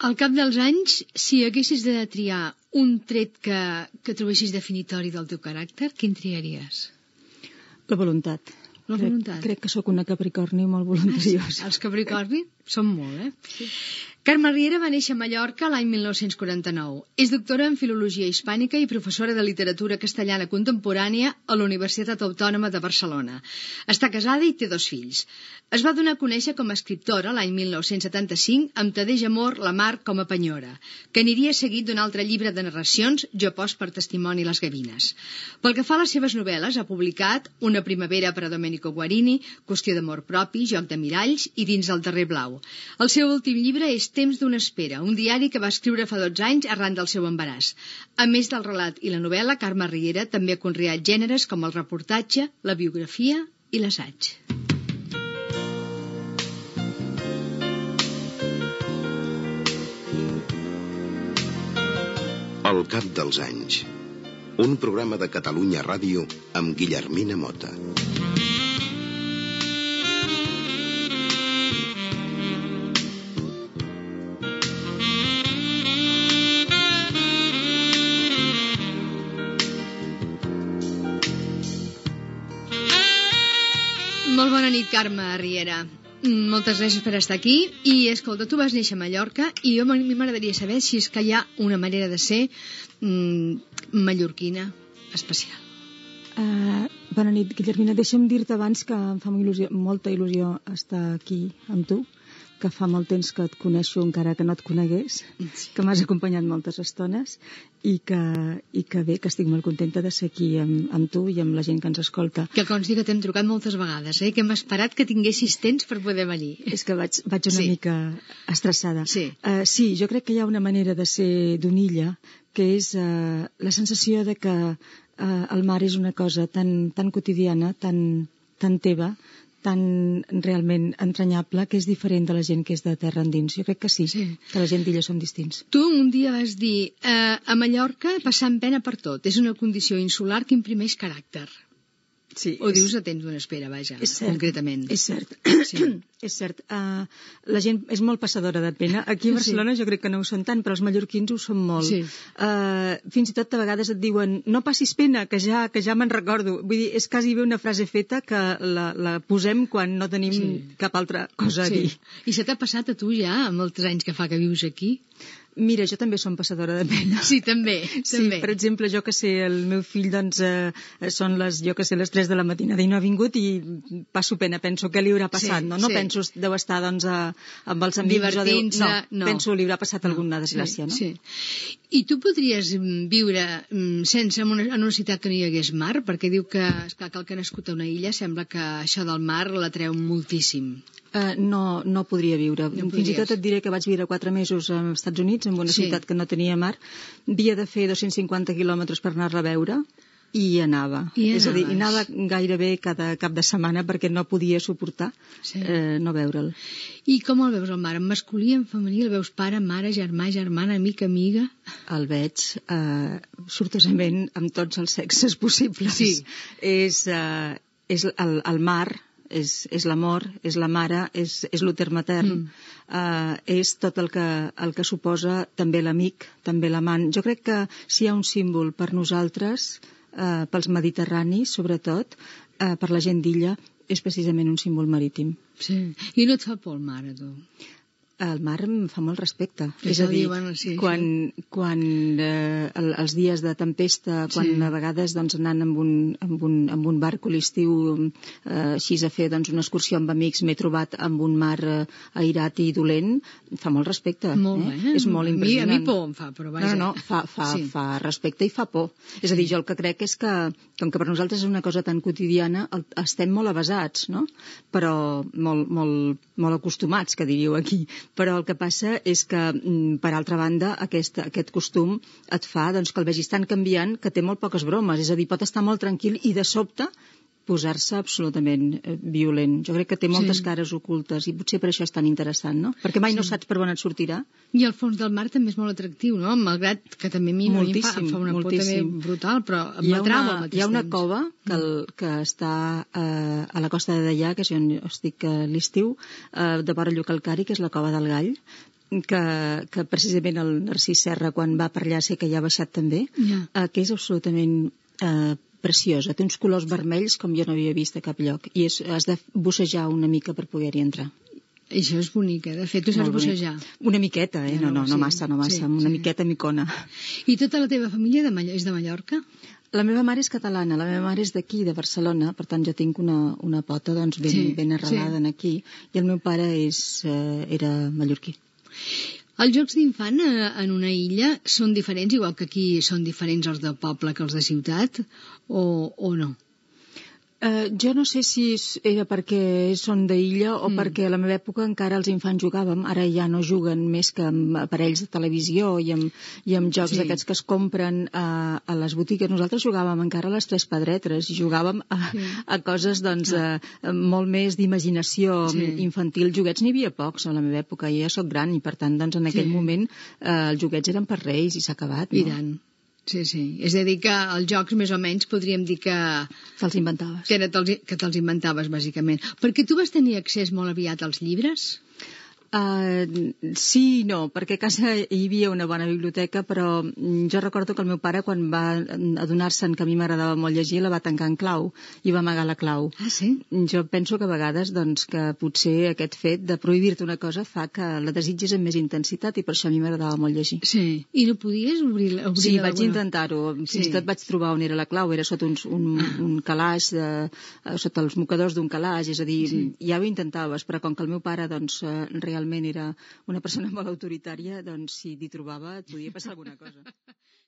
Al cap dels anys, si haguessis de triar un tret que trobessis definitori del teu caràcter, quin triaries? La voluntat. La voluntat. Crec que sóc una capricorni molt voluntariosa. Els capricorni són molt, Carme Riera va néixer a Mallorca l'any 1949. És doctora en Filologia Hispànica i professora de literatura castellana contemporània a la Universitat Autònoma de Barcelona. Està casada i té 2 fills. Es va donar a conèixer com a escriptora l'any 1975 amb Tadeix Amor, La Mar com a penyora, que aniria seguit d'un altre llibre de narracions, Jo post per testimoni les gavines. Pel que fa a les seves novel·les, ha publicat Una primavera per a Domenico Guarini, Qüestió d'amor propi, Joc de miralls i Dins del darrer blau. El seu últim llibre és Temps d'una espera, un diari que va escriure fa 12 anys arran del seu embaràs. A més del relat i la novel·la, Carme Riera també ha conreat gèneres com el reportatge, la biografia i l'assaig. Al cap dels anys. Un programa de Catalunya Ràdio amb Guillermina Mota. Molt bona nit, Carme Riera. Moltes gràcies per estar aquí. I, escolta, tu vas néixer a Mallorca i a mi m'agradaria saber si és que hi ha una manera de ser mallorquina especial. Bona nit, Guillermina. Deixa'm dir-te abans que em fa molta il·lusió estar aquí amb tu, que fa molt temps que et coneixo encara que no et conegués, que m'has acompanyat moltes estones i que bé, que estic molt contenta de ser aquí amb tu i amb la gent que ens escolta. Que consti que t'hem trucat moltes vegades, que hem esperat que tinguessis temps per poder venir. És que vaig una mica estressada. Sí. Sí, jo crec que hi ha una manera de ser d'una illa que és la sensació de que el mar és una cosa tan quotidiana, tan teva, tan realment entranyable, que és diferent de la gent que és de terra endins. Jo crec que sí, que la gent d'illa som distints. Tu un dia vas dir, a Mallorca passant pena per tot. És una condició insular que imprimeix caràcter. Sí, o dius a temps d'una espera, vaja, concretament. És cert. Sí. És cert. La gent és molt passadora de pena. Aquí a Barcelona jo crec que no ho són tant, però els mallorquins ho són molt. Sí. Fins i tot a vegades et diuen no passis pena, que ja me'n recordo. Vull dir, és quasi bé una frase feta que la posem quan no tenim cap altra cosa a dir. I se t'ha passat a tu ja, amb els anys que fa que vius aquí? Mira, jo també som passadora de pena. Sí, també. Sí, per exemple, jo que sé, el meu fill, doncs, són les 3 de la matinada i no ha vingut i passo pena, penso què li haurà passat, no? No penso, deu estar, doncs, amb els amics. Divertint-se, no. Penso, li haurà passat alguna desgràcia, no? Sí. I tu podries viure sense en una ciutat que no hi hagués mar? Perquè diu que, esclar, que el que ha nascut a una illa sembla que això del mar l'atreu moltíssim. No podria viure. Fins i tot et diré que vaig viure 4 mesos als Estats Units, en una ciutat que no tenia mar. Havia de fer 250 quilòmetres per anar-la a veure i anava. És a dir, anava gairebé cada cap de setmana perquè no podia suportar no veure'l. I com el veus el mar? En masculí, en femení? El veus pare, mare, germà, germana, amic, amiga? El veig sortosament amb tots els sexes possibles. Sí. És el mar, és l'amor, és la mare, és l'úter matern, és tot el que suposa també l'amic, també l'amant. Jo crec que si hi ha un símbol per nosaltres, pels mediterranis sobretot, per la gent d'illa, és precisament un símbol marítim. Sí. I no et fa por el mar, a tu? El mar em fa molt respecte. És a dir, quan els dies de tempesta, quan a vegades doncs, anant amb un barco a l'estiu així a fer doncs, una excursió amb amics m'he trobat amb un mar airat i dolent, fa molt respecte. Molt bé. És molt impressionant. A mi por em fa, però vaja. No, fa respecte i fa por. És a dir, jo el que crec és que, com que per nosaltres és una cosa tan quotidiana, estem molt avasats, no? Però molt acostumats, que diríeu aquí. Però el que passa és que, per altra banda, aquest costum et fa doncs, que el vegis tan canviant que té molt poques bromes. És a dir, pot estar molt tranquil i de sobte posar-se absolutament violent. Jo crec que té moltes cares ocultes i potser per això és tan interessant, no? Perquè mai no saps per on et sortirà. I el fons del mar també és molt atractiu, no? Malgrat que també a mi em fa una por també brutal, però m'atrau al mateix temps. Hi ha una cova que està a la costa de Deià, que és on estic a l'estiu, de vora Llucalcari, que és la Cova del Gall, que precisament el Narcís Serra, quan va per allà, sé que ja ha baixat també, que és absolutament preciosa. Té uns colors vermells com jo no havia vist a cap lloc, i has de bussejar una mica per poder-hi entrar. Això és bonic, de fet, tu saps bussejar. Una miqueta, no massa, una miqueta micona. I tota la teva família és de Mallorca? La meva mare és catalana, la meva mare és d'aquí, de Barcelona, per tant jo tinc una pota doncs, ben arrelada aquí, i el meu pare era mallorquí. Els jocs d'infant en una illa són diferents, igual que aquí són diferents els de poble que els de ciutat, o no? Jo no sé si era perquè són d'illa o perquè a la meva època encara els infants jugàvem, ara ja no juguen més que amb aparells de televisió i amb jocs d'aquests que es compren a les botigues. Nosaltres jugàvem encara a les Tres Pedretres i jugàvem a coses doncs, molt més d'imaginació infantil. Joguets n'hi havia pocs a la meva època, jo ja soc gran i per tant doncs, en aquell moment els joguets eren per reis i s'ha acabat. I tant. Sí. És a dir, que els jocs, més o menys, podríem dir que... Te'ls inventaves. Que te'ls inventaves, bàsicament. Perquè tu vas tenir accés molt aviat als llibres? Sí i no, perquè a casa hi havia una bona biblioteca, però jo recordo que el meu pare, quan va adonar-se'n que a mi m'agradava molt llegir, la va tancar en clau i va amagar la clau. Ah, sí? Jo penso que a vegades doncs, que potser aquest fet de prohibir-te una cosa fa que la desitgis amb més intensitat, i per això a mi m'agradava molt llegir. Sí, i no podies obrir-la? Sí, vaig intentar-ho. Fins i tot vaig trobar on era la clau, era sota un calaix, sota els mocadors d'un calaix, és a dir, ja ho intentaves, però com que el meu pare doncs, realment era una persona molt autoritària, doncs si t'hi trobava et podia passar alguna cosa.